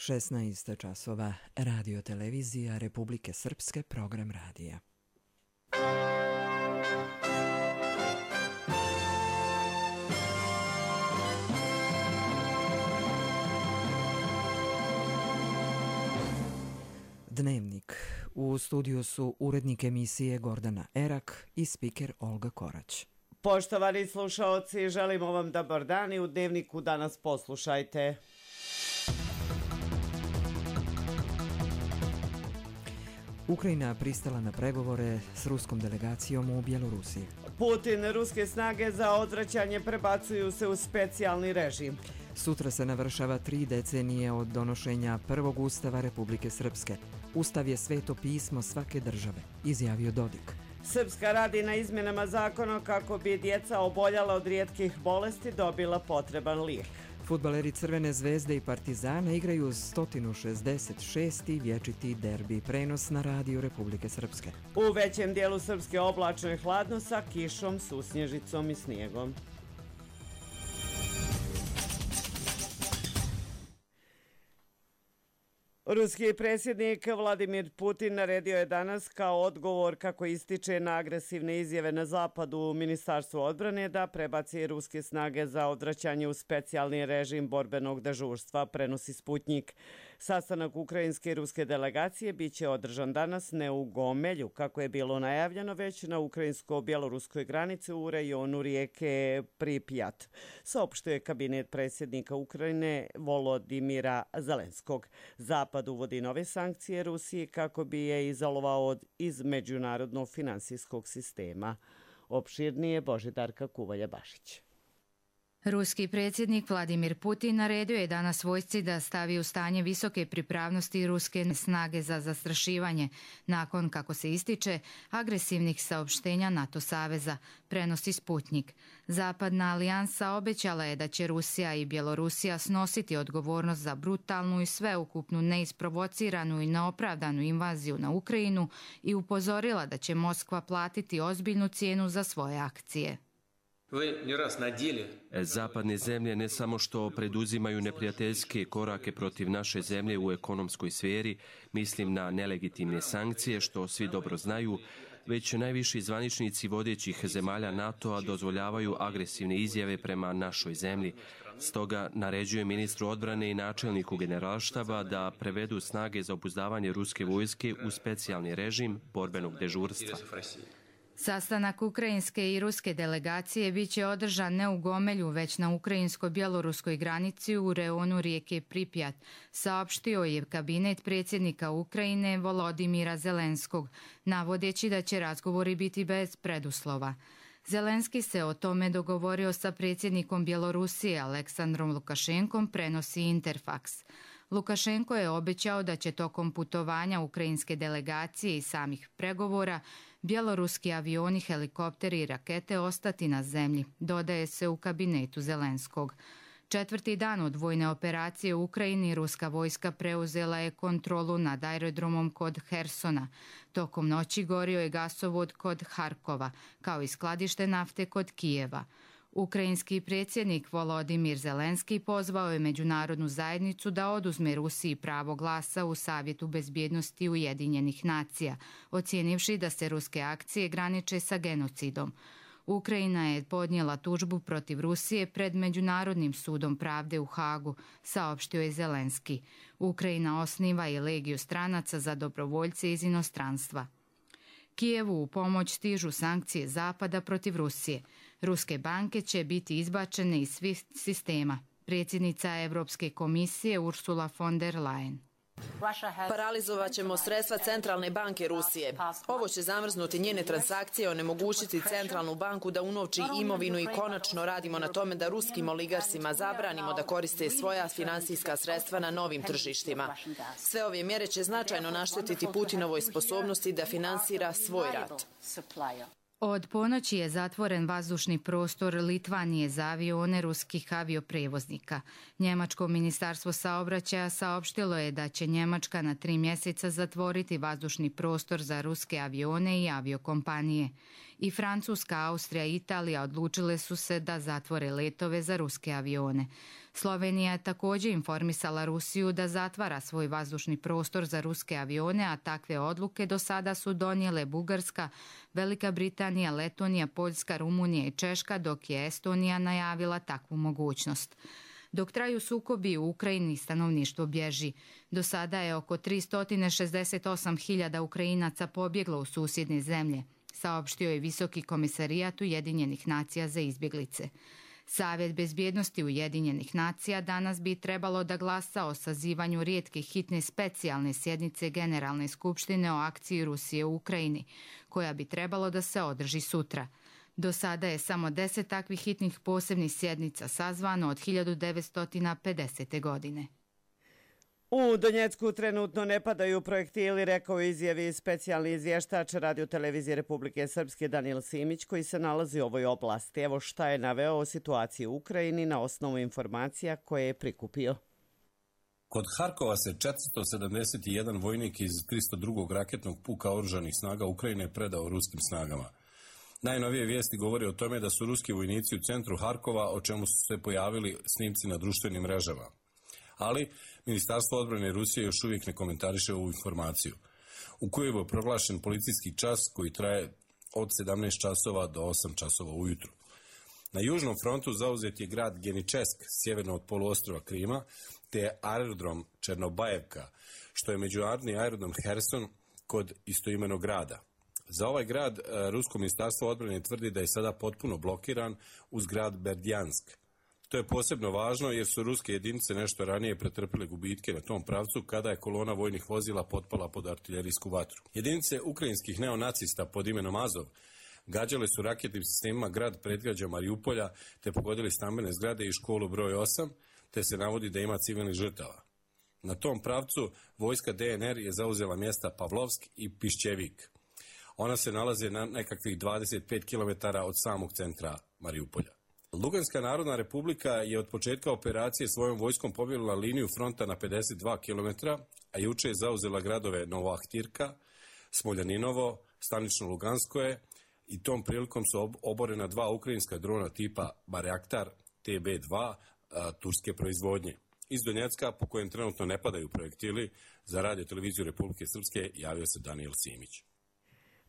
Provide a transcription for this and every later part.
16 časova, Radio televizija Republike Srpske, program radija. Dnevnik. U studiju su urednik emisije Gordana Erak i spiker Olga Korać. Poštovani slušaoci, želimo vam dobar dan i u Dnevniku danas poslušajte. Ukrajina pristala na pregovore s ruskom delegacijom u Bjelorusiji. Putin, ruske snage za odvraćanje prebacuju se u specijalni režim. Sutra se navršava 3 decenije od donošenja prvog ustava Republike Srpske. Ustav je sveto pismo svake države, izjavio Dodik. Srpska radi na izmjenama zakona kako bi djeca oboljala od rijetkih bolesti dobila potreban lijek. Fudbaleri Crvene zvezde i Partizana igraju 166. vječiti derbi, prenos na radiju Republike Srpske. U većem dijelu Srpske oblačno i hladno sa kišom, susnježicom i snijegom. Ruski predsjednik Vladimir Putin naredio je danas kao odgovor, kako ističe na agresivne izjave na zapadu Ministarstvo odbrane, da prebaci ruske snage za odvraćanje u specijalni režim borbenog dežurstva, prenosi Sputnjik. Sastanak ukrajinske i ruske delegacije biće održan danas ne u Gomelju, kako je bilo najavljeno, već na ukrajinsko-bjeloruskoj granici u rejonu rijeke Pripjat, saopštuje kabinet predsjednika Ukrajine Volodimira Zelenskog. Zapad uvodi nove sankcije Rusiji kako bi je izolovao iz međunarodnog finansijskog sistema. Opširnije Božidarka Kuvalja-Bašić. Ruski predsjednik Vladimir Putin naredio je danas vojsci da stavi u stanje visoke pripravnosti ruske snage za zastrašivanje, nakon, kako se ističe, agresivnih saopštenja NATO saveza, prenosi Sputnjik. Zapadna alijansa obećala je da će Rusija i Bjelorusija snositi odgovornost za brutalnu i sveukupnu neisprovociranu i neopravdanu invaziju na Ukrajinu i upozorila da će Moskva platiti ozbiljnu cijenu za svoje akcije. Zapadne zemlje ne samo što preduzimaju neprijateljske korake protiv naše zemlje u ekonomskoj sferi, mislim na nelegitimne sankcije, što svi dobro znaju, već najviši zvaničnici vodećih zemalja NATO-a dozvoljavaju agresivne izjave prema našoj zemlji. Stoga naređuje ministru odbrane i načelniku generalštaba da prevedu snage za obuzdavanje ruske vojske u specijalni režim borbenog dežurstva. Sastanak ukrajinske i ruske delegacije biće održan ne u Gomelju, već na ukrajinsko-bjeloruskoj granici u rejonu rijeke Pripjat, saopštio je kabinet predsjednika Ukrajine Volodimira Zelenskog, navodeći da će razgovori biti bez preduslova. Zelenski se o tome dogovorio sa predsjednikom Bjelorusije Aleksandrom Lukašenkom, prenosi Interfax. Lukašenko je obećao da će tokom putovanja ukrajinske delegacije i samih pregovora bjeloruski avioni, helikopteri i rakete ostati na zemlji, dodaje se u kabinetu Zelenskog. 4. dan od vojne operacije u Ukrajini ruska vojska preuzela je kontrolu nad aerodromom kod Hersona. Tokom noći gorio je gasovod kod Harkova, kao i skladište nafte kod Kijeva. Ukrajinski predsjednik Volodimir Zelenski pozvao je međunarodnu zajednicu da oduzme Rusiji pravo glasa u Savjetu bezbjednosti Ujedinjenih nacija, ocijenivši da se ruske akcije graniče sa genocidom. Ukrajina je podnijela tužbu protiv Rusije pred Međunarodnim sudom pravde u Hagu, saopštio je Zelenski. Ukrajina osniva i legiju stranaca za dobrovoljce iz inostranstva. Kijevu u pomoć stižu sankcije Zapada protiv Rusije. Ruske banke će biti izbačene iz svih sistema. Predsjednica Europske komisije Ursula von der Leyen. Paralizovat ćemo sredstva Centralne banke Rusije. Ovo će zamrznuti njene transakcije, onemogućiti Centralnu banku da unovči imovinu i konačno radimo na tome da ruskim oligarsima zabranimo da koriste svoja finansijska sredstva na novim tržištima. Sve ove mjere će značajno naštetiti Putinovoj sposobnosti da finansira svoj rat. Od ponoći je zatvoren vazdušni prostor Litvanije za avione ruskih avioprevoznika. Njemačko ministarstvo saobraćaja saopštilo je da će Njemačka na 3 mjeseca zatvoriti vazdušni prostor za ruske avione i aviokompanije. I Francuska, Austrija i Italija odlučile su se da zatvore letove za ruske avione. Slovenija je također informisala Rusiju da zatvara svoj vazdušni prostor za ruske avione, a takve odluke do sada su donijele Bugarska, Velika Britanija, Letonija, Poljska, Rumunija i Češka, dok je Estonija najavila takvu mogućnost. Dok traju sukobi u Ukrajini, stanovništvo bježi. Do sada je oko 368.000 Ukrajinaca pobjeglo u susjedne zemlje, saopštio je Visoki komisarijat Ujedinjenih nacija za izbjeglice. Savjet bezbjednosti Ujedinjenih nacija danas bi trebalo da glasa o sazivanju rijetke hitne specijalne sjednice Generalne skupštine o akciji Rusije u Ukrajini, koja bi trebalo da se održi sutra. Do sada je samo 10 takvih hitnih posebnih sjednica sazvano od 1950. godine. U Donjecku trenutno ne padaju projektili, rekao izjavi specijalni izvještač Radio-televizije Republike Srpske Danijel Simić, koji se nalazi u ovoj oblasti. Evo šta je naveo o situaciji u Ukrajini na osnovu informacija koje je prikupio. Kod Harkova se 471 vojnik iz 302. raketnog puka oružanih snaga Ukrajine predao ruskim snagama. Najnovije vijesti govore o tome da su ruski vojnici u centru Harkova, o čemu su se pojavili snimci na društvenim mrežama. Ali Ministarstvo odbrane Rusije još uvijek ne komentariše ovu informaciju. U Kijevu je proglašen policijski čas koji traje od 17 časova do 8 časova ujutru. Na južnom frontu zauzet je grad Geničesk, sjeverno od poluostrva Krima, te aerodrom Černobajevka, što je međunarodni aerodrom Herson kod istoimenog grada. Za ovaj grad Rusko ministarstvo odbrane tvrdi da je sada potpuno blokiran uz grad Berdjansk. To je posebno važno jer su ruske jedinice nešto ranije pretrpile gubitke na tom pravcu kada je kolona vojnih vozila potpala pod artiljerijsku vatru. Jedinice ukrajinskih neonacista pod imenom Azov gađale su raketnim sistemima grad predgrađa Mariupolja te pogodili stambene zgrade i školu broj 8, te se navodi da ima civilnih žrtava. Na tom pravcu vojska DNR je zauzela mjesta Pavlovsk i Pišćevik. Ona se nalaze na nekakvih 25 km od samog centra Mariupolja. Luganska narodna republika je od početka operacije svojom vojskom pobjegla liniju fronta na 52 km, a juče je zauzela gradove Novoahtirka, Smoljaninovo, Stanično Luganskoje i tom prilikom su oborena 2 ukrajinska drona tipa Bayraktar TB2 turske proizvodnje. Iz Donjecka, po kojem trenutno ne padaju projektili, za Radio-televiziju Republike Srpske javio se Danijel Simić.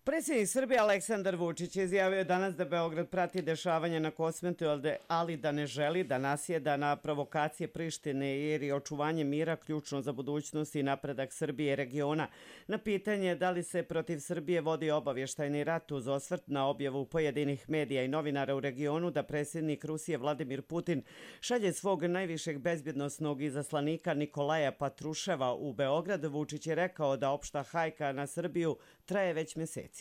Predsjednik Srbije Aleksandar Vučić je izjavio danas da Beograd prati dešavanje na Kosmetu, ali da ne želi da nasjeda na provokacije Prištine jer je očuvanje mira ključno za budućnost i napredak Srbije i regiona. Na pitanje da li se protiv Srbije vodi obavještajni rat uz osvrt na objavu pojedinih medija i novinara u regionu da predsjednik Rusije Vladimir Putin šalje svog najvišeg bezbjednosnog izaslanika Nikolaja Patruševa u Beograd, Vučić je rekao da opšta hajka na Srbiju traje već mjesecima.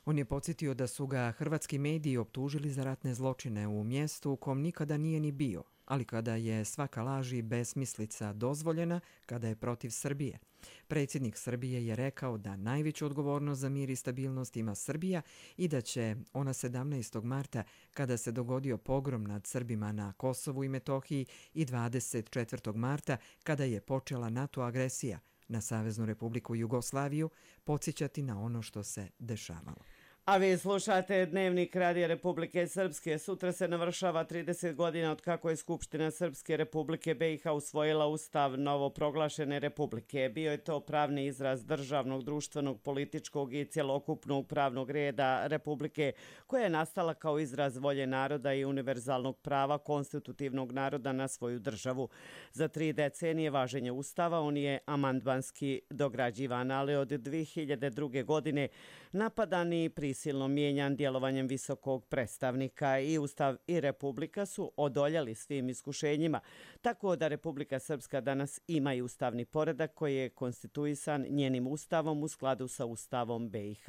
On je podsjetio da su ga hrvatski mediji optužili za ratne zločine u mjestu u kom nikada nije ni bio, ali kada je svaka laž i besmislica dozvoljena, kada je protiv Srbije. Predsjednik Srbije je rekao da najveću odgovornost za mir i stabilnost ima Srbija i da će ona 17. marta, kada se dogodio pogrom nad Srbima na Kosovu i Metohiji, i 24. marta, kada je počela NATO agresija na Saveznu Republiku Jugoslaviju, podsjećati na ono što se dešavalo. A vi slušate Dnevnik Radija Republike Srpske. Sutra se navršava 30 godina od kako je Skupština Srpske Republike BiH usvojila ustav novoproglašene republike. Bio je to pravni izraz državnog, društvenog, političkog i cjelokupnog pravnog reda republike koja je nastala kao izraz volje naroda i univerzalnog prava konstitutivnog naroda na svoju državu. Za 3 decenije važenja ustava on je amandmanski dograđivan, ali od 2002. godine napadan i prisilno mijenjan djelovanjem visokog predstavnika. I Ustav i Republika su odoljeli svim iskušenjima, tako da Republika Srpska danas ima i ustavni poredak koji je konstituisan njenim ustavom u skladu sa Ustavom BiH.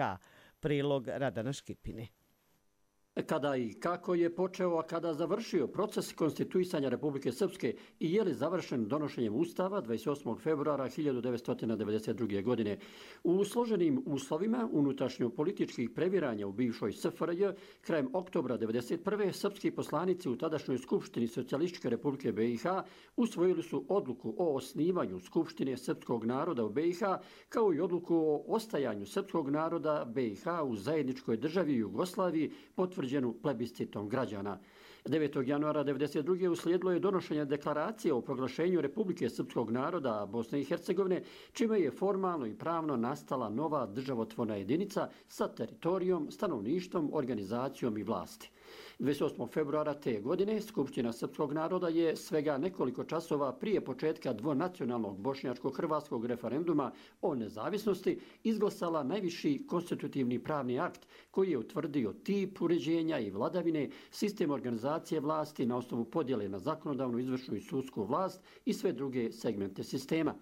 Prilog Radana Škipine. Kada i kako je počeo, a kada završio proces konstituisanja Republike Srpske i je li završen donošenjem Ustava 28. februara 1992. godine. U složenim uslovima unutrašnjo-političkih previranja u bivšoj SFRJ krajem oktobra 1991. srpski poslanici u tadašnjoj Skupštini Socijalističke Republike BiH usvojili su odluku o osnivanju Skupštine srpskog naroda u BiH kao i odluku o ostajanju srpskog naroda BiH u zajedničkoj državi Jugoslaviji potvrđenu plebiscitom građana. 9. januara 1992. uslijedilo je donošenje deklaracije o proglašenju Republike Srpskog naroda Bosne i Hercegovine, čime je formalno i pravno nastala nova državotvorna jedinica sa teritorijom, stanovništvom, organizacijom i vlasti. 28. februara te godine Skupština Srpskog naroda je svega nekoliko časova prije početka dvonacionalnog bošnjačko-hrvatskog referenduma o nezavisnosti izglasala najviši konstitutivni pravni akt koji je utvrdio tip uređenja i vladavine, sistem organizacije vlasti na osnovu podjele na zakonodavnu, izvršnu i sudsku vlast i sve druge segmente sistema.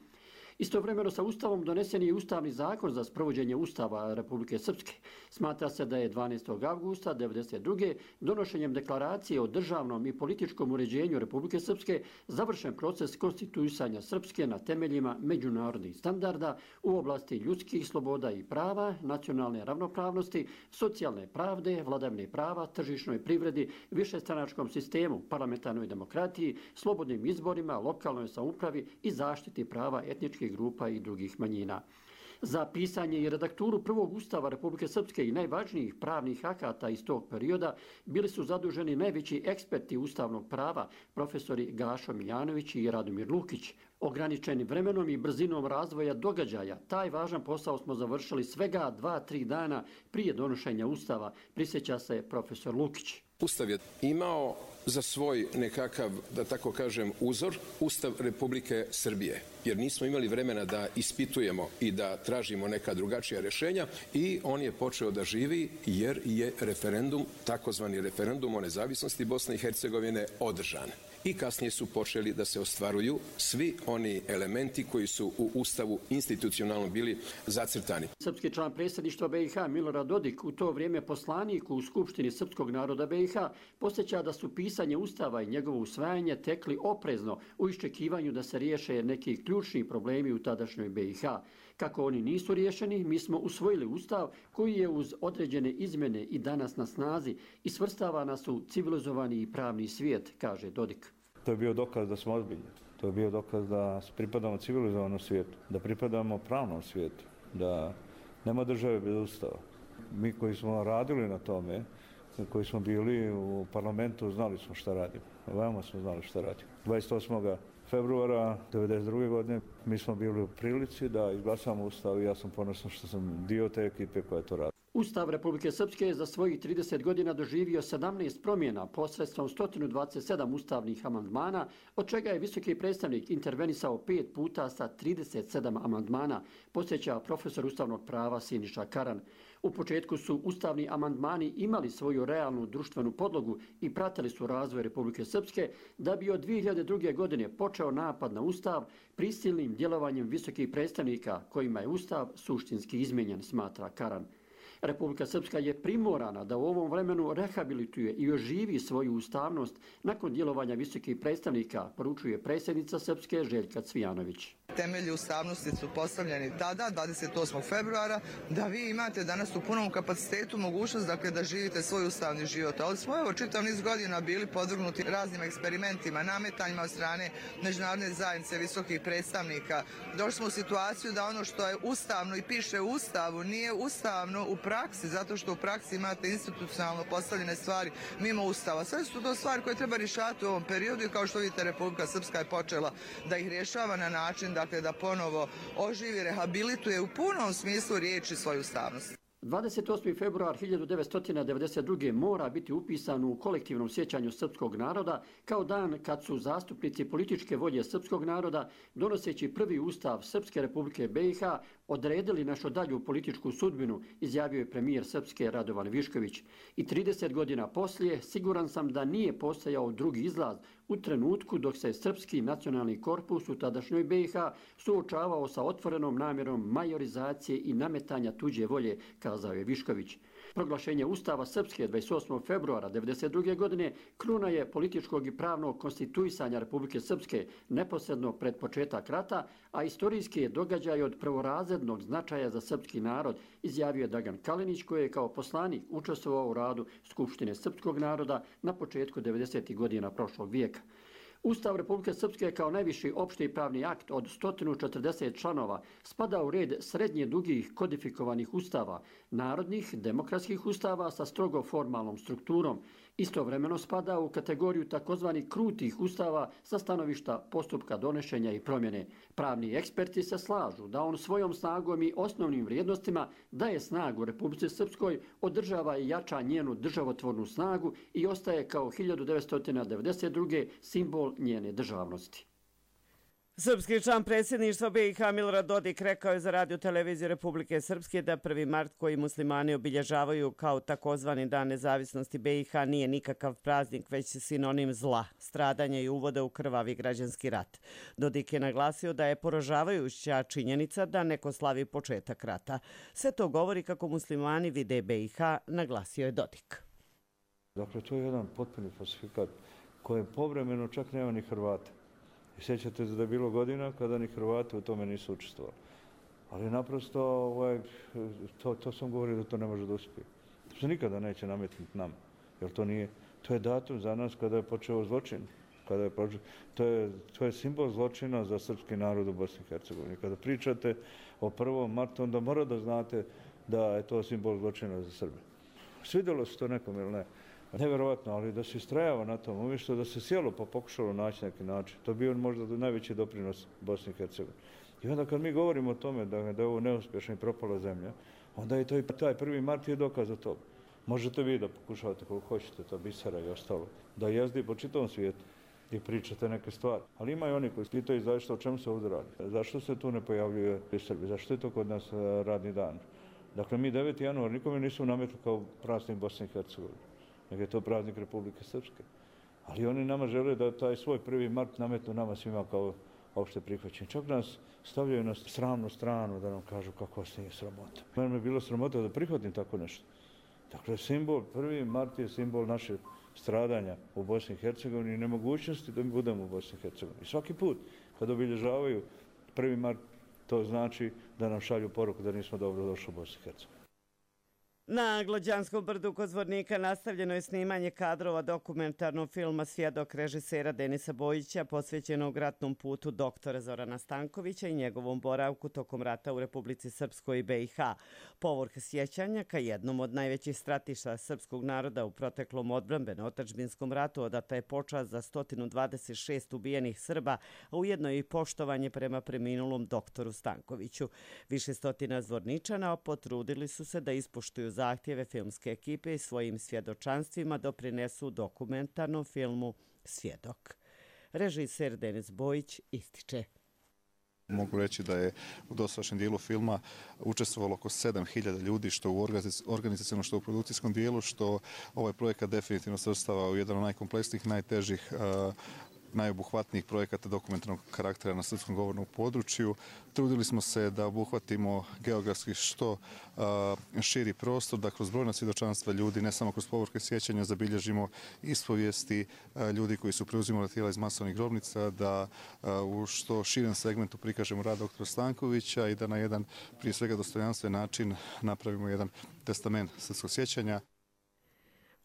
Istovremeno sa Ustavom donesen je Ustavni zakon za sprovođenje Ustava Republike Srpske. Smatra se da je 12. avgusta 1992. donošenjem deklaracije o državnom i političkom uređenju Republike Srpske završen proces konstituisanja Srpske na temeljima međunarodnih standarda u oblasti ljudskih sloboda i prava, nacionalne ravnopravnosti, socijalne pravde, vladavine prava, tržišnoj privredi, višestranačkom sistemu, parlamentarnoj demokratiji, slobodnim izborima, lokalnoj samoupravi i zaštiti prava etničkih grupa i drugih manjina. Za pisanje i redakturu prvog Ustava Republike Srpske i najvažnijih pravnih akata iz tog perioda bili su zaduženi najveći eksperti ustavnog prava, profesori Gašo Miljanović i Radomir Lukić. Ograničeni vremenom i brzinom razvoja događaja, taj važan posao smo završili svega 2-3 dana prije donošenja Ustava, prisjeća se profesor Lukić. Ustav je imao za svoj nekakav, da tako kažem, uzor Ustav Republike Srbije, jer nismo imali vremena da ispitujemo i da tražimo neka drugačija rješenja i on je počeo da živi jer je referendum, takozvani referendum o nezavisnosti Bosne i Hercegovine održan. I kasnije su počeli da se ostvaruju svi oni elementi koji su u Ustavu institucionalno bili zacrtani. Srpski član predsjedništva BiH Milorad Dodik, u to vrijeme poslanik u Skupštini Srpskog naroda BiH, posjeća da su pisanje Ustava i njegovo usvajanje tekli oprezno u iščekivanju da se riješe neki ključni problemi u tadašnjoj BiH. Kako oni nisu riješeni, mi smo usvojili Ustav koji je uz određene izmjene i danas na snazi i svrstava nas u civilizovani i pravni svijet, kaže Dodik. To je bio dokaz da smo ozbiljni. To je bio dokaz da pripadamo civilizovanom svijetu, da pripadamo pravnom svijetu, da nema države bez Ustava. Mi koji smo radili na tome, koji smo bili u parlamentu, znali smo šta radimo. Veoma smo znali šta radimo. 28. februara 1992. godine mi smo bili u prilici da izglasamo Ustav i ja sam ponosan što sam dio te ekipe koja to radi. Ustav Republike Srpske je za svojih 30 godina doživio 17 promjena posredstvom 127 ustavnih amandmana, od čega je visoki predstavnik intervenisao 5 puta sa 37 amandmana, podsjeća profesor ustavnog prava Siniša Karan. U početku su ustavni amandmani imali svoju realnu društvenu podlogu i pratili su razvoj Republike Srpske, da bi od 2002. godine počeo napad na Ustav prisilnim djelovanjem visokih predstavnika kojima je Ustav suštinski izmijenjen, smatra Karan. Republika Srpska je primorana da u ovom vremenu rehabilituje i oživi svoju ustavnost nakon djelovanja visokih predstavnika, poručuje predsjednica Srpske Željka Cvijanović. Temelji ustavnosti su postavljeni tada, 28. februara, da vi imate danas u punom kapacitetu mogućnost da živite svoj ustavni život. Ali smo čitav niz godina bili podvrgnuti raznim eksperimentima, nametanjima od strane međunarodne zajednice visokih predstavnika. Došli smo u situaciju da ono što je ustavno i piše u Ustavu nije ustavno u praksi, zato što u praksi imate institucionalno postavljene stvari mimo Ustava. Sve su to stvari koje treba rješavati u ovom periodu i kao što vidite Republika Srpska je počela da ih rješava na način da ponovo oživi, rehabilituje u punom smislu riječi svoju ustavnost. 28. februar 1992. mora biti upisan u kolektivnom sjećanju srpskog naroda kao dan kad su zastupnici političke volje srpskog naroda, donoseći prvi ustav Srpske Republike BiH, odredili našu dalju političku sudbinu, izjavio je premijer Srpske Radovan Višković. I 30 godina poslije siguran sam da nije postojao drugi izlaz u trenutku dok se Srpski nacionalni korpus u tadašnjoj BiH suočavao sa otvorenom namjerom majorizacije i nametanja tuđe volje, kazao je Višković. Proglašenje Ustava Srpske 28. februara 1992. godine kruna je političkog i pravnog konstituisanja Republike Srpske neposredno pred početak rata, a istorijski je događaj od prvorazrednog značaja za srpski narod, izjavio je Dragan Kalinić, koji je kao poslanik učestvovao u radu Skupštine srpskog naroda na početku 90. godina prošlog vijeka. Ustav Republike Srpske kao najviši opšti pravni akt od 140 članova spada u red srednje dugih kodifikovanih ustava, narodnih demokratskih ustava sa strogo formalnom strukturom. Istovremeno spada u kategoriju takozvanih krutih ustava sa stanovišta postupka donošenja i promjene. Pravni eksperti se slažu da on svojom snagom i osnovnim vrijednostima daje snagu Republici Srpskoj, održava i jača njenu državotvornu snagu i ostaje kao 1992. simbol njene državnosti. Srpski član predsjedništva BiH Milorad Dodik rekao je za Radio televiziju Republike Srpske da 1. mart koji muslimani obilježavaju kao takozvani dan nezavisnosti BiH nije nikakav praznik, već sinonim zla, stradanja i uvoda u krvavi građanski rat. Dodik je naglasio da je poražavajuća činjenica da neko slavi početak rata. Sve to govori kako muslimani vide BiH, naglasio je Dodik. Dakle, to je jedan potpuni falsifikat kojem povremeno čak nema ni Hrvata. I sjećate se da je bilo godina kada ni Hrvati u tome nisu učestvovali. Ali naprosto, to sam govorio da to ne može da uspije. To se nikada neće nametnuti nam. Jer to je datum za nas kada je počeo zločin. To je simbol zločina za srpski narod u Bosni i Hercegovini. Kada pričate o 1. martu, onda mora da znate da je to simbol zločina za Srbe. Svidjelo se to nekom ili ne? Nevjerovatno, ali da se istrajava na tom, umjesto da se sjelo pa pokušalo naći neki način. To bi on možda najveći doprinos Bosni i Hercegovini. I onda kad mi govorimo o tome da je ovo neuspješna i propala zemlja, onda je to i taj 1. mart je dokaz za to. Možete vi da pokušavate koliko hoćete, to bisera i ostalo, da jezdi po čitavom svijetu i pričate neke stvari. Ali ima i oni koji pitaju zašto, o čemu se ovdje radi. Zašto se tu ne pojavljuje u Srbiji? Zašto je to kod nas radni dan? Dakle, mi 9. januar nikome nisu nametli kao praznik Bosne i Hercegovine, nego je to praznik Republike Srpske. Ali oni nama žele da taj svoj 1. mart nametnu nama svima kao opšte prihvaćenje. Čak nas stavljaju na sramnu stranu da nam kažu kako vas nije sramota. Mene je bilo sramota da prihvatim tako nešto. Dakle, simbol 1. mart je simbol našeg stradanja u Bosni i Hercegovini i nemogućnosti da mi budemo u Bosni i Hercegovini. I svaki put kad obilježavaju 1. mart, to znači da nam šalju poruku da nismo dobro došli u Bosni i Hercegovini. Na Glađanskom brdu kod Zvornika nastavljeno je snimanje kadrova dokumentarnog filma Svjedok režisera Denisa Bojića posvećenog ratnom putu doktora Zorana Stankovića i njegovom boravku tokom rata u Republici Srpskoj i BiH. Povrh sjećanja ka jednom od najvećih stratišta srpskog naroda u proteklom odbrambeno-otadžbinskom ratu odata je počast za 126 ubijenih Srba, a ujedno i poštovanje prema preminulom doktoru Stankoviću. Više stotina Zvorničana potrudili su se da ispoštuju zahtjeve filmske ekipe i svojim svjedočanstvima doprinesu dokumentarnom filmu Svjedok. Režiser Denis Bojić ističe. Mogu reći da je u dosadašnjem dijelu filma učestvovalo oko 7000 ljudi, što u organizacijnom, što u produkcijskom dijelu, što ovaj projekat definitivno svrstava u jedan od najkompleksnijih, najtežih, najobuhvatnijih projekata dokumentarnog karaktera na srpskom govornom području. Trudili smo se da obuhvatimo geografski što širi prostor, da kroz brojna svjedočanstva ljudi, ne samo kroz povorke sjećanja, zabilježimo ispovijesti ljudi koji su preuzimali tijela iz masovnih grobnica, da u što širem segmentu prikažemo rad doktora Stankovića i da na jedan, prije svega, dostojanstven način napravimo jedan testament srpskog sjećanja.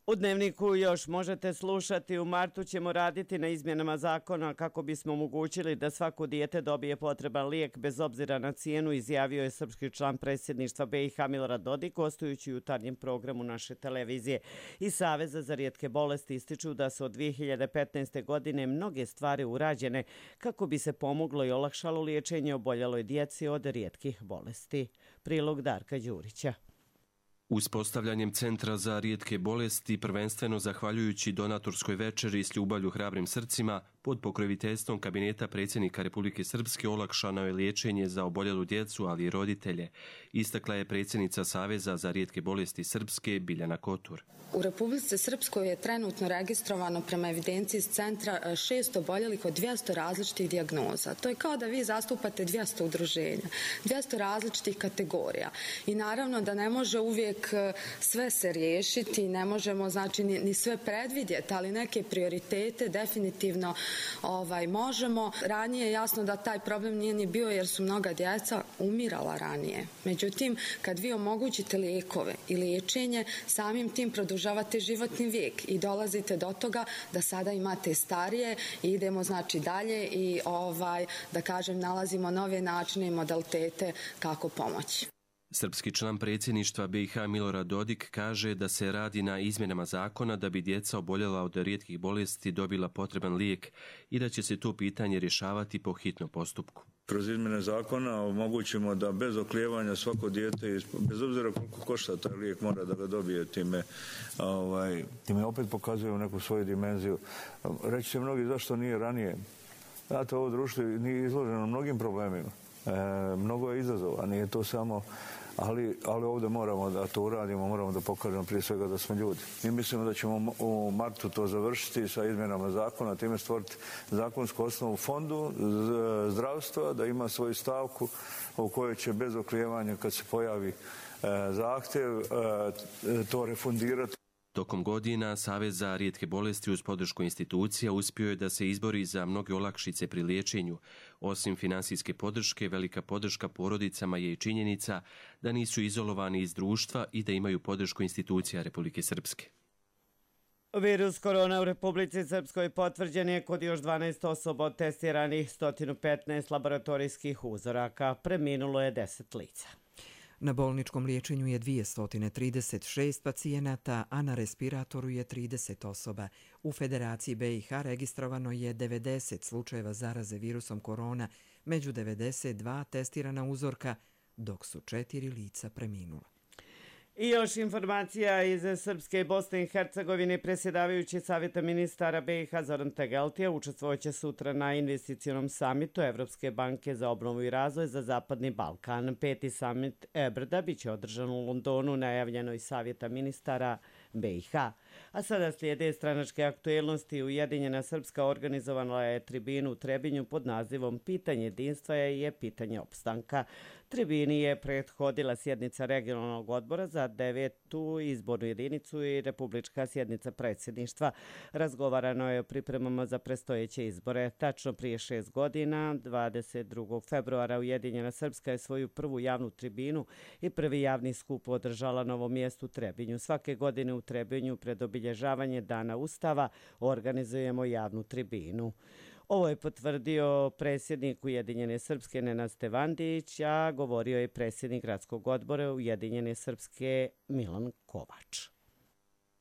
U Dnevniku još možete slušati. U martu ćemo raditi na izmjenama zakona kako bismo omogućili da svako dijete dobije potreban lijek bez obzira na cijenu, izjavio je srpski član predsjedništva BiH Milorad Dodik, gostujući u jutarnjem programu naše televizije. Iz Saveza za rijetke bolesti ističu da su od 2015. godine mnoge stvari urađene kako bi se pomoglo i olakšalo liječenje oboljeloj djeci od rijetkih bolesti. Prilog Darka Đurića. Uspostavljanjem Centra za rijetke bolesti, prvenstveno zahvaljujući donatorskoj večeri s ljubavlju hrabrim srcima, Pod pokroviteljstvom kabineta predsjednika Republike Srpske olakšano je liječenje za oboljelu djecu, ali i roditelje, istakla je predsjednica Saveza za rijetke bolesti Srpske Biljana Kotur. U Republici Srpskoj je trenutno registrovano prema evidenciji iz centra 600 oboljelih od 200 različitih dijagnoza. To je kao da vi zastupate 200 udruženja, 200 različitih kategorija. I naravno da ne može uvijek sve se riješiti, ne možemo znači ni sve predvidjeti, ali neke prioritete definitivno možemo. Ranije je jasno da taj problem nije ni bio jer su mnoga djeca umirala ranije. Međutim, kad vi omogućite lijekove i liječenje, samim tim produžavate životni vijek i dolazite do toga da sada imate starije i idemo znači dalje i da kažem nalazimo nove načine i modalitete kako pomoći. Srpski član predsjedništva BiH Milorad Dodik kaže da se radi na izmjenama zakona da bi djeca oboljela od rijetkih bolesti dobila potreban lijek i da će se to pitanje rješavati po hitnom postupku. Kroz izmjene zakona omogućimo da bez oklijevanja svako dijete, bez obzira koliko košta taj lijek, mora da ga dobije. Time opet pokazuju neku svoju dimenziju. Reći će mnogi zašto nije ranije. Znate, ovo društvo nije izloženo mnogim problemima. Mnogo je izazova, nije to samo, ali ovdje moramo da to uradimo, moramo da pokažemo prije svega da smo ljudi. Mi mislimo da ćemo u martu to završiti sa izmjenama zakona, time stvoriti zakonsku osnovu fondu zdravstva, da ima svoju stavku u kojoj će bez oklijevanja kad se pojavi zahtjev to refundirati. Tokom godina Savez za rijetke bolesti uz podršku institucija uspio je da se izbori za mnoge olakšice pri liječenju. Osim finansijske podrške, velika podrška porodicama je i činjenica da nisu izolovani iz društva i da imaju podršku institucija Republike Srpske. Virus korona u Republici Srpskoj potvrđen je kod još 12 osoba od testiranih 115 laboratorijskih uzoraka. Preminulo je 10 lica. Na bolničkom liječenju je 236 pacijenata, a na respiratoru je 30 osoba. U Federaciji BiH registrovano je 90 slučajeva zaraze virusom korona, među 92 testirana uzorka, dok su 4 lica preminula. I još informacija iz Srpske i Bosne i Hercegovine. Predsjedavajući Savjeta ministara BiH Zoran Tegeltija učestvovaće sutra na investicionom samitu Evropske banke za obnovu i razvoj za Zapadni Balkan. 5. samit EBRD-a biće održan u Londonu, najavljenoj Savjeta ministara BiH. A sada slijede stranačke aktuelnosti. Ujedinjena Srpska organizovala je tribinu u Trebinju pod nazivom Pitanje jedinstva je pitanje opstanka. Tribini je prethodila sjednica regionalnog odbora za 9. izbornu jedinicu i republička sjednica predsjedništva. Razgovarano je o pripremama za predstojeće izbore. Tačno prije 6 godina, 22. februara, Ujedinjena Srpska je svoju prvu javnu tribinu i prvi javni skup održala na ovom mjestu Trebinju. Svake godine u Trebinju pred obilježavanje Dana Ustava organizujemo javnu tribinu. Ovo je potvrdio predsjednik Ujedinjene Srpske Nenad Stevandić, a govorio je predsjednik gradskog odbora Ujedinjene Srpske Milan Kovač.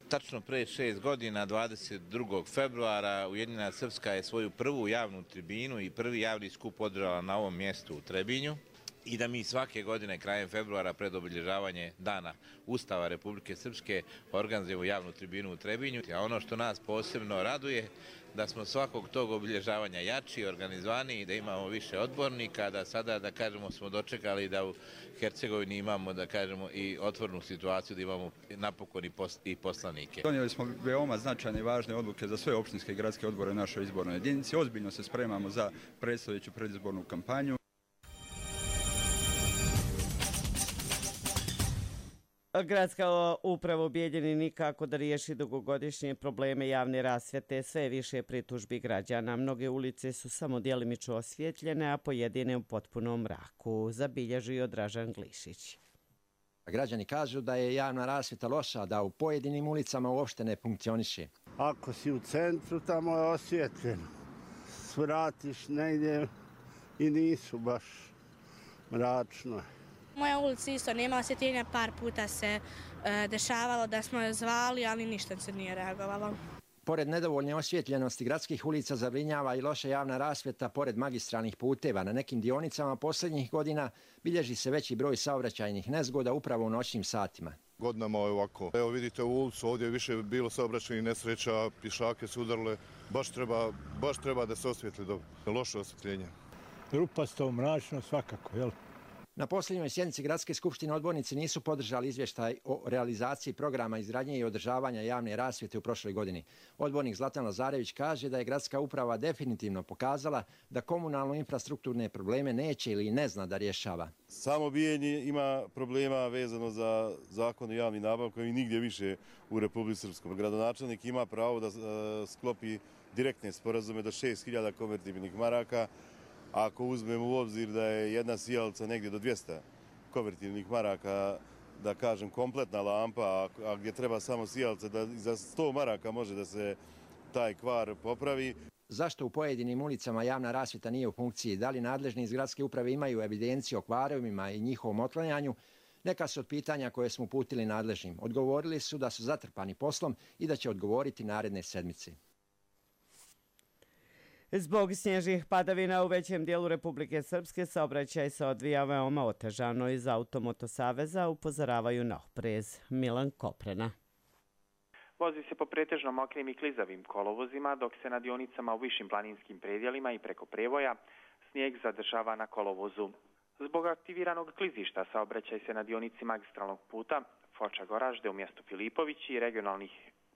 Tačno pre 6 godina, 22. februara, Ujedinjena Srpska je svoju prvu javnu tribinu i prvi javni skup održala na ovom mjestu u Trebinju i da mi svake godine krajem februara pred obilježavanje Dana Ustava Republike Srpske organizujemo javnu tribinu u Trebinju. A ono što nas posebno raduje da smo svakog tog obilježavanja jači, organizovaniji, da imamo više odbornika, da sada, da kažemo, smo dočekali da u Hercegovini imamo, da kažemo, i otvornu situaciju, da imamo napokon i poslanike. Donijeli smo veoma značajne i važne odluke za sve opštinske i gradske odbore u našoj izbornoj jedinici. Ozbiljno se spremamo za predstojeću predizbornu kampanju. Gradska uprava u Bijeljini nikako da riješi dugogodišnje probleme javne rasvjete, sve više pritužbi građana. Mnoge ulice su samo djelimično osvjetljene, a pojedine u potpunom mraku, zabilježio Dražan Glišić. Građani kažu da je javna rasvjeta loša, da u pojedinim ulicama uopšte ne funkcioniše. Ako si u centru, tamo je osvjetljeno. Svratiš negdje i nisu baš mračno. Moja ulica isto nema osvjetljenja, par puta se dešavalo da smo je zvali, ali ništa se nije reagovalo. Pored nedovoljne osvjetljenosti gradskih ulica zabrinjava i loša javna rasvjeta pored magistralnih puteva. Na nekim dionicama posljednjih godina bilježi se veći broj saobraćajnih nezgoda upravo u noćnim satima. godinama je ovako. Evo vidite u ulicu, ovdje je više bilo saobraćajnih nesreća, pješake su udarile, baš treba da se osvijetli dobro. Loše osvjetljenje. Rupasto, mračno, svakako, jel? Na posljednjoj sjednici Gradske skupštine odbornici nisu podržali izvještaj o realizaciji programa izgradnje i održavanja javne rasvjete u prošloj godini. Odbornik Zlatan Lazarević kaže da je gradska uprava definitivno pokazala da komunalno infrastrukturne probleme neće ili ne zna da rješava. Samo Bijeljni ima problema vezano za zakon o javnim nabavkama i nigdje više u Republici Srpskoj. Gradonačelnik ima pravo da sklopi direktne sporazume do 6.000 konvertibilnih maraka. Ako uzmemo u obzir da je jedna sijalica negdje do 200 konvertibilnih maraka, da kažem kompletna lampa, a gdje treba samo sijalica, da za 100 maraka može da se taj kvar popravi. Zašto u pojedinim ulicama javna rasvjeta nije u funkciji? Da li nadležni iz gradske uprave imaju evidenciju o kvarovima i njihovom otklanjanju? Neka su od pitanja koje smo uputili nadležnim. Odgovorili su da su zatrpani poslom i da će odgovoriti naredne sedmice. Zbog snježnih padavina u većem dijelu Republike Srpske saobraćaj se odvija veoma otežano. Iz Automoto saveza upozoravaju na oprez. Milan Koprena. Vozi se po pretežno mokrim i klizavim kolovozima, dok se na dionicama u višim planinskim predjelima i preko prevoja snijeg zadržava na kolovozu. Zbog aktiviranog klizišta saobraćaj se na dionici magistralnog puta Foča-Goražde u mjestu Filipović i regionalnih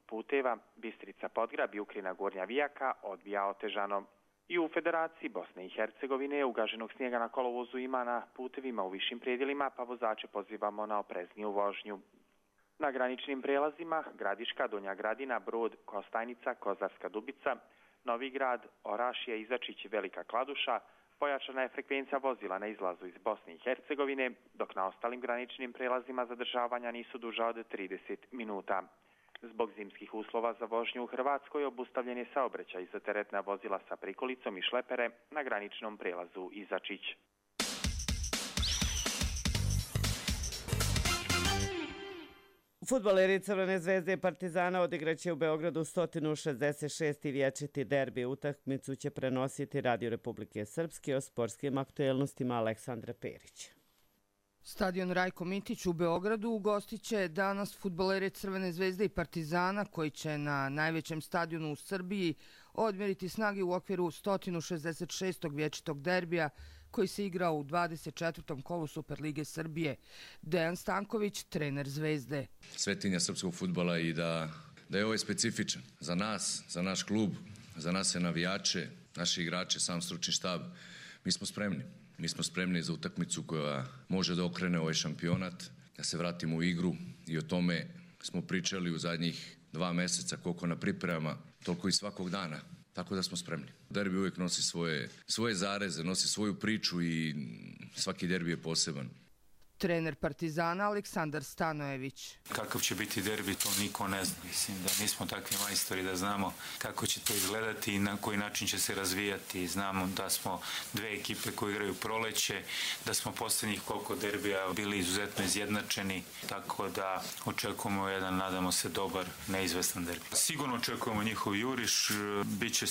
puteva Bistrica Podgrab i Ukrina Gornja Vijaka odvija otežano. I u Federaciji Bosne i Hercegovine ugaženog snijega na kolovozu ima na putevima u višim predjelima, pa vozače pozivamo na oprezniju vožnju. Na graničnim prelazima Gradiška, Donja Gradina, Brod, Kostajnica, Kozarska Dubica, Novi Grad, Orašje, Izačić i Velika Kladuša pojačana je frekvencija vozila na izlazu iz Bosne i Hercegovine, dok na ostalim graničnim prelazima zadržavanja nisu duža od 30 minuta. Zbog zimskih uslova za vožnju u Hrvatskoj obustavljen je saobraćaj za teretna vozila sa prikolicom i šlepere na graničnom prelazu Izačić. Fudbaleri Crvene zvezde i Partizana odigraće u Beogradu 166. vječiti derbi. Utakmicu će prenositi Radio Republike Srpske. O sportskim aktuelnostima Aleksandra Perić. Stadion Rajko Mitić u Beogradu ugostiće danas fudbaleri Crvene zvezde i Partizana koji će na najvećem stadionu u Srbiji odmjeriti snage u okviru 166. vječitog derbija koji se igra u 24. kolu Superlige Srbije. Dejan Stanković, trener Zvezde. Svetinja srpskog fudbala i da je ovaj specifičan za nas, za naš klub, za nas navijače, naši igrače, sam stručni štab. Mi smo spremni. Mi smo spremni za utakmicu koja može da okrene ovaj šampionat, da se vratimo u igru i o tome smo pričali u zadnjih 2 mjeseca, koliko na pripremama, toliko i svakog dana. Tako da smo spremni. Derbi uvijek nosi svoje zareze, nosi svoju priču i svaki derbi je poseban. Trener Partizana Aleksandar Stanojević. Kakav će biti derbi, to niko ne zna. Mislim da nismo takvi majstori da znamo kako će to izgledati i na koji način će se razvijati. Znamo da smo dve ekipe koje igraju proleće, da smo posljednjih koliko derbija bili izuzetno izjednačeni, tako da očekujemo jedan, nadamo se, dobar, neizvestan derbi. Sigurno očekujemo njihov juriš, bit će,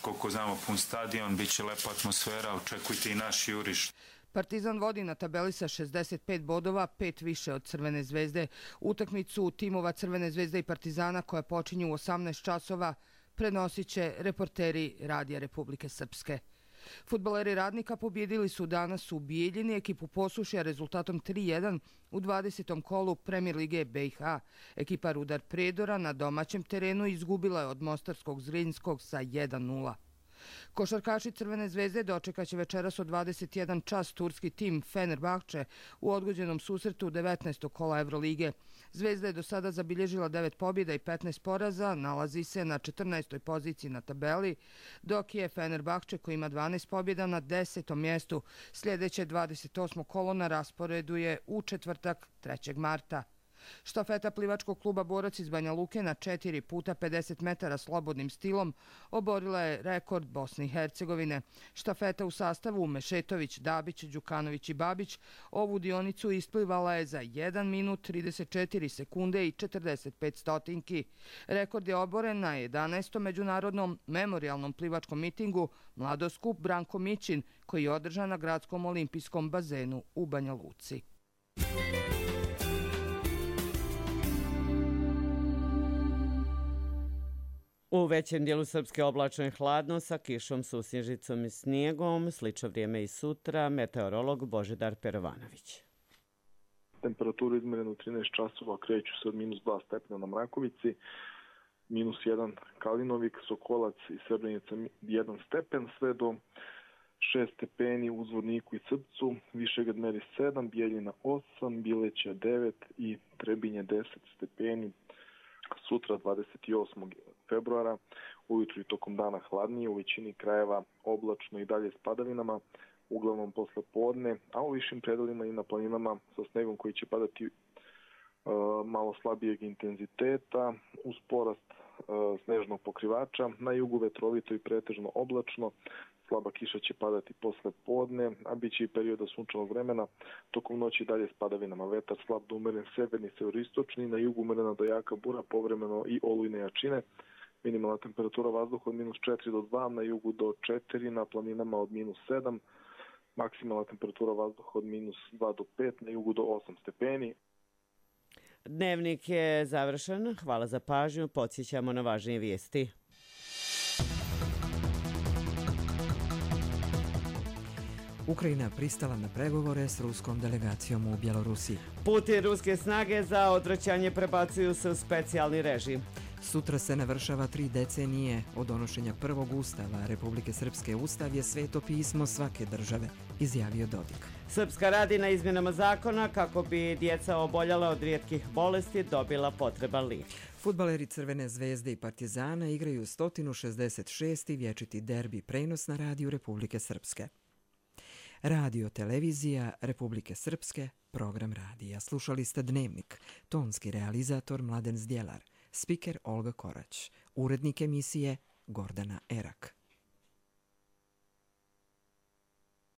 koliko znamo, pun stadion, bit će lepa atmosfera, očekujte i naš juriš. Partizan vodi na tabeli sa 65 bodova, 5 više od Crvene zvezde. Utakmicu timova Crvene zvezde i Partizana koja počinju u 18 časova prenosit će reporteri Radija Republike Srpske. Fudbaleri Radnika pobjedili su danas u Bijeljini ekipu Posušja rezultatom 3-1 u 20. kolu Premier Lige BiH. Ekipa Rudar Predora na domaćem terenu izgubila je od Mostarskog Zrinjskog sa 1-0. Košarkaši Crvene zvezde dočekaće večeras od 21 čas turski tim Fenerbahče u odgođenom susretu 19. kola Evrolige. Zvezda je do sada zabilježila 9 pobjeda i 15 poraza, nalazi se na 14. poziciji na tabeli, dok je Fenerbahče koji ima 12 pobjeda na 10. mjestu. Sljedeće 28. kolo na rasporedu je u četvrtak 3. marta. Štafeta plivačkog kluba Borac iz Banja Luke na 4 puta 50 metara slobodnim stilom oborila je rekord Bosne i Hercegovine. Štafeta u sastavu Mešetović, Dabić, Đukanović i Babić ovu dionicu isplivala je za 1 minut 34 sekunde i 45 stotinki. Rekord je oboren na 11. međunarodnom memorialnom plivačkom mitingu Mladoskup Branko Mićin koji je održan na gradskom olimpijskom bazenu u Banja Luci. U većem dijelu Srpske oblačno i hladno sa kišom, susnježicom i snijegom. Slično vrijeme i sutra. Meteorolog Božidar Perovanović. Temperaturu izmjerenu u 13 časova kreću se od -2 stepena na Mrakovici, -1 Kalinovik, Sokolac i Srebrenica 1 stepen, sve do 6 stepeni u Zvorniku i Crpcu, Višegrad meri 7, Bijeljina 8, Bileća 9 i Trebinje 10 stepeni. Sutra 28. februara, ujutru i tokom dana hladnije, u većini krajeva oblačno i dalje s padavinama, uglavnom posle podne, a u višim predelima i na planinama sa snegom koji će padati malo slabijeg intenziteta, uz porast snežnog pokrivača, na jugu vetrovito i pretežno oblačno, slaba kiša će padati posle podne, a bit će i perioda sunčanog vremena, tokom noći dalje s padavinama, vetar slab do umeren severni, severistočni, na jugu umerena do jaka bura, povremeno i olujne jačine, minimalna temperatura vazduha od -4 do 2, na jugu do 4, na planinama od -7, maksimalna temperatura vazduha od -2 do 5, na jugu do 8 stepeni. Dnevnik je završen. Hvala za pažnju. Podsjećamo na važnije vijesti. Ukrajina pristala na pregovore s ruskom delegacijom u Bjelorusiji. Putin ruske snage za odvraćanje prebacuju se u specijalni režim. Sutra se navršava 3 decenije od donošenja prvog ustava Republike Srpske. Ustav je sveto pismo svake države, izjavio Dodik. Srpska radi na izmjenama zakona kako bi djeca oboljela od rijetkih bolesti dobila potreban lijek. Fudbaleri Crvene zvezde i Partizana igraju 166. vječiti derbi, prenos na radiju Republike Srpske. Radio televizija Republike Srpske, program radija. Slušali ste Dnevnik, tonski realizator Mladen Zdjelar, spiker Olga Korać, urednik emisije Gordana Erak.